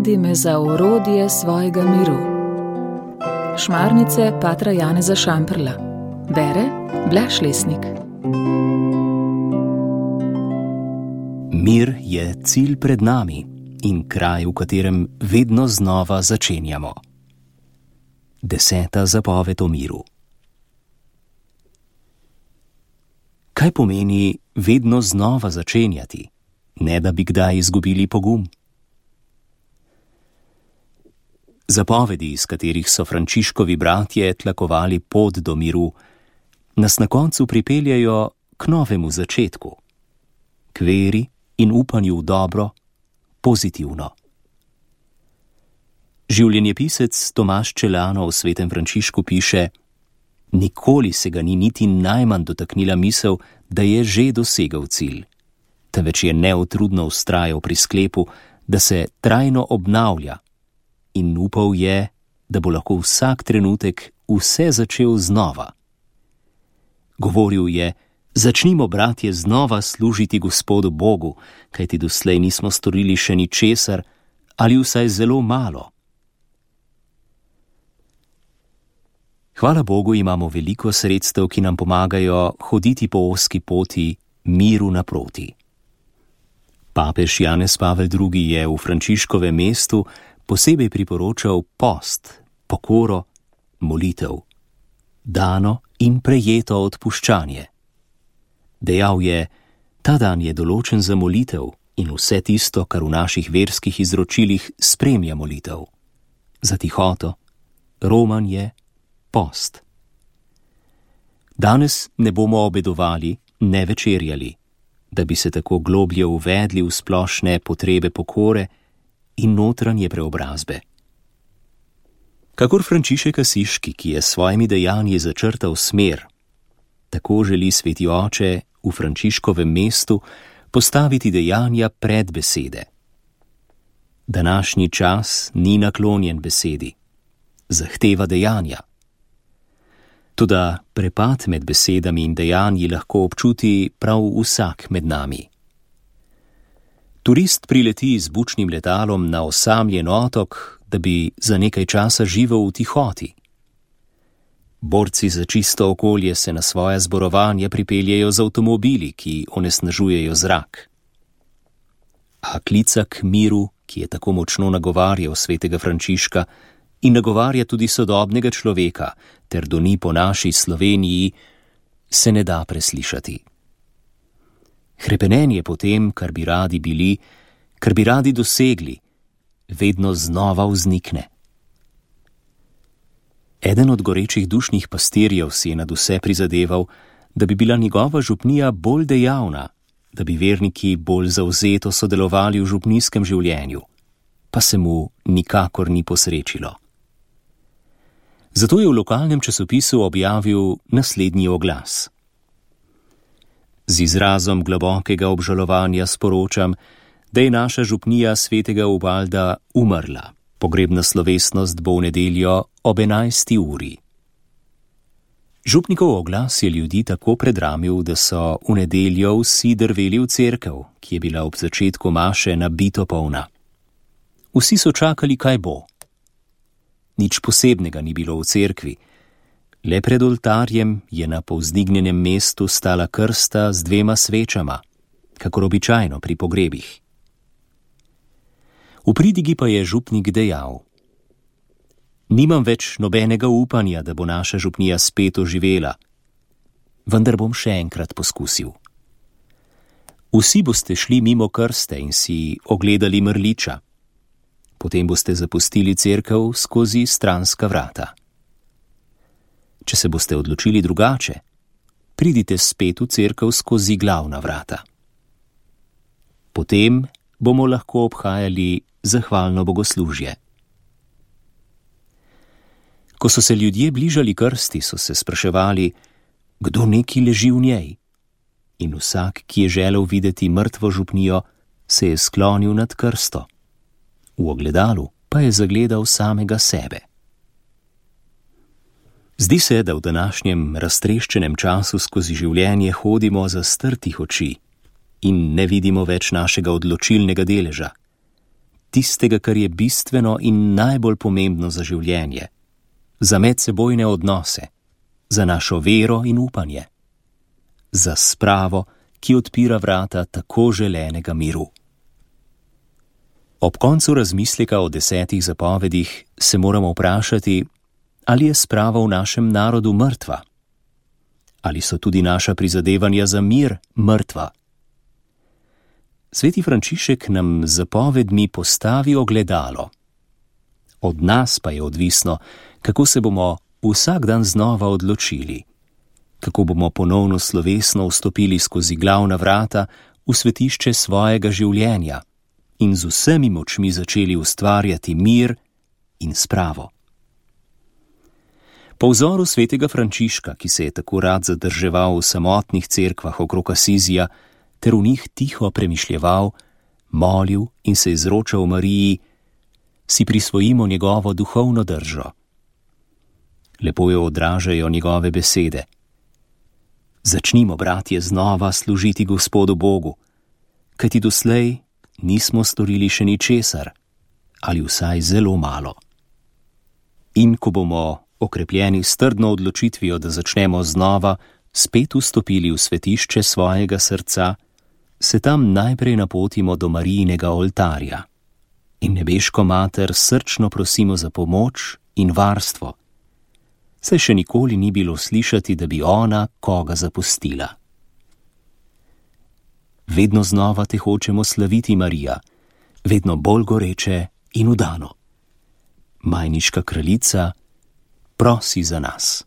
Navedi me za orodje svojega miru. Šmarnice patra Janeza Šamprla. Bere Blaž Lesnik. Mir je cilj pred nami in kraj, v katerem vedno znova začenjamo. 10. zapoved o miru. Kaj pomeni vedno znova začenjati, ne da bi kdaj izgubili pogum? Zapovedi, iz katerih so Frančiškovi bratje tlakovali pot do miru, nas na koncu pripeljajo k novemu začetku, k veri in upanju v dobro, pozitivno. Življenjepisec Tomaž Čelano v Svetem Frančišku piše: nikoli se ga ni niti najmanj dotaknila misel, da je že dosegel cilj, temveč je neutrudno vztrajal pri sklepu, da se trajno obnavlja, in upal je, da bo lahko vsak trenutek vse začel znova. Govoril je: začnimo, bratje, znova služiti Gospodu Bogu, kajti doslej nismo storili še ničesar ali vsaj zelo malo. Hvala Bogu imamo veliko sredstev, ki nam pomagajo hoditi po ozki poti miru naproti. Papež Janez Pavel II. Je v Frančiškovem mestu posebej priporočal post, pokoro, molitev, dano in prejeto odpuščanje. Dejal je: ta dan je določen za molitev in vse tisto, kar v naših verskih izročilih spremlja molitev. Za tihoto, romanje, post. Danes ne bomo obedovali, ne večerjali, da bi se tako globlje uvedli v splošne potrebe pokore in notranje preobrazbe. Kakor Frančišek Asiški, ki je s svojimi dejanji začrtal smer, tako želi Sveti Oče v Frančiškovem mestu postaviti dejanja pred besede. Današnji čas ni naklonjen besedi, zahteva dejanja. Toda prepad med besedami in dejanji lahko občuti prav vsak med nami. Turist prileti z bučnim letalom na osamljen otok, da bi za nekaj časa živel v tihoti. Borci za čisto okolje se na svoja zborovanja pripeljejo z avtomobili, ki onesnažujejo zrak. A klica k miru, ki je tako močno nagovarjal svetega Frančiška in nagovarja tudi sodobnega človeka, ter doni po naši Sloveniji, se ne da preslišati. Hrepenenje po tem, kar bi radi bili, kar bi radi dosegli, vedno znova vznikne. Eden od gorečih dušnih pastirjev si je nadvse prizadeval, da bi bila njegova župnija bolj dejavna, da bi verniki bolj zavzeto sodelovali v župnijskem življenju, pa se mu nikakor ni posrečilo. Zato je v lokalnem časopisu objavil naslednji oglas. Z izrazom globokega obžalovanja sporočam, da je naša župnija svetega Ubalda umrla. Pogrebna slovesnost bo v nedeljo ob 11. uri. Župnikov oglas je ljudi tako predramil, da so v nedeljo vsi drveli v cerkev, ki je bila ob začetku maše nabito polna. Vsi so čakali, kaj bo. Nič posebnega ni bilo v cerkvi. Le pred oltarjem je na povzdignjenem mestu stala krsta z 2 svečama, kakor običajno pri pogrebih. V pridigi pa je župnik dejal: nimam več nobenega upanja, da bo naša župnija spet oživela, vendar bom še enkrat poskusil. Vsi boste šli mimo krste in si ogledali mrliča. Potem boste zapustili cerkev skozi stranska vrata. Če se boste odločili drugače, pridite spet v cerkev skozi glavna vrata. Potem bomo lahko obhajali zahvalno bogoslužje. Ko so se ljudje bližali krsti, so se spraševali, kdo neki leži v njej. In vsak, ki je želel videti mrtvo župnijo, se je sklonil nad krsto. V ogledalu pa je zagledal samega sebe. Zdi se, da v današnjem raztreščenem času skozi življenje hodimo zastrtih oči in ne vidimo več našega odločilnega deleža. tistega, kar je bistveno in najbolj pomembno za življenje, za medsebojne odnose, za našo vero in upanje, za spravo, ki odpira vrata tako želenega miru. Ob koncu razmisleka o 10 zapovedih se moramo vprašati, ali je sprava v našem narodu mrtva? Ali so tudi naša prizadevanja za mir mrtva? Sveti Frančišek nam z zapovedmi postavi ogledalo. Od nas pa je odvisno, kako se bomo vsak dan znova odločili, kako bomo ponovno slovesno vstopili skozi glavna vrata v svetišče svojega življenja in z vsemi močmi začeli ustvarjati mir in spravo. Po vzoru svetega Frančiška, ki se je tako rad zadrževal v samotnih cerkvah okrog Asizija, ter v njih tiho premišljeval, molil in se izročal Mariji, si prisvojimo njegovo duhovno držo. Lepo jo odražajo njegove besede. Začnimo, bratje, znova služiti Gospodu Bogu, kajti doslej nismo storili še ničesar, ali vsaj zelo malo. In ko bomo okrepljeni s trdno odločitvijo, da začnemo znova, spet vstopili v svetišče svojega srca, se tam najprej napotimo do Marijinega oltarja in nebeško mater srčno prosimo za pomoč in varstvo, saj še nikoli ni bilo slišati, da bi ona koga zapustila. Vedno znova te hočemo slaviti, Marija, vedno bolj goreče in vdano. Majniška kraljica, prosi za nas.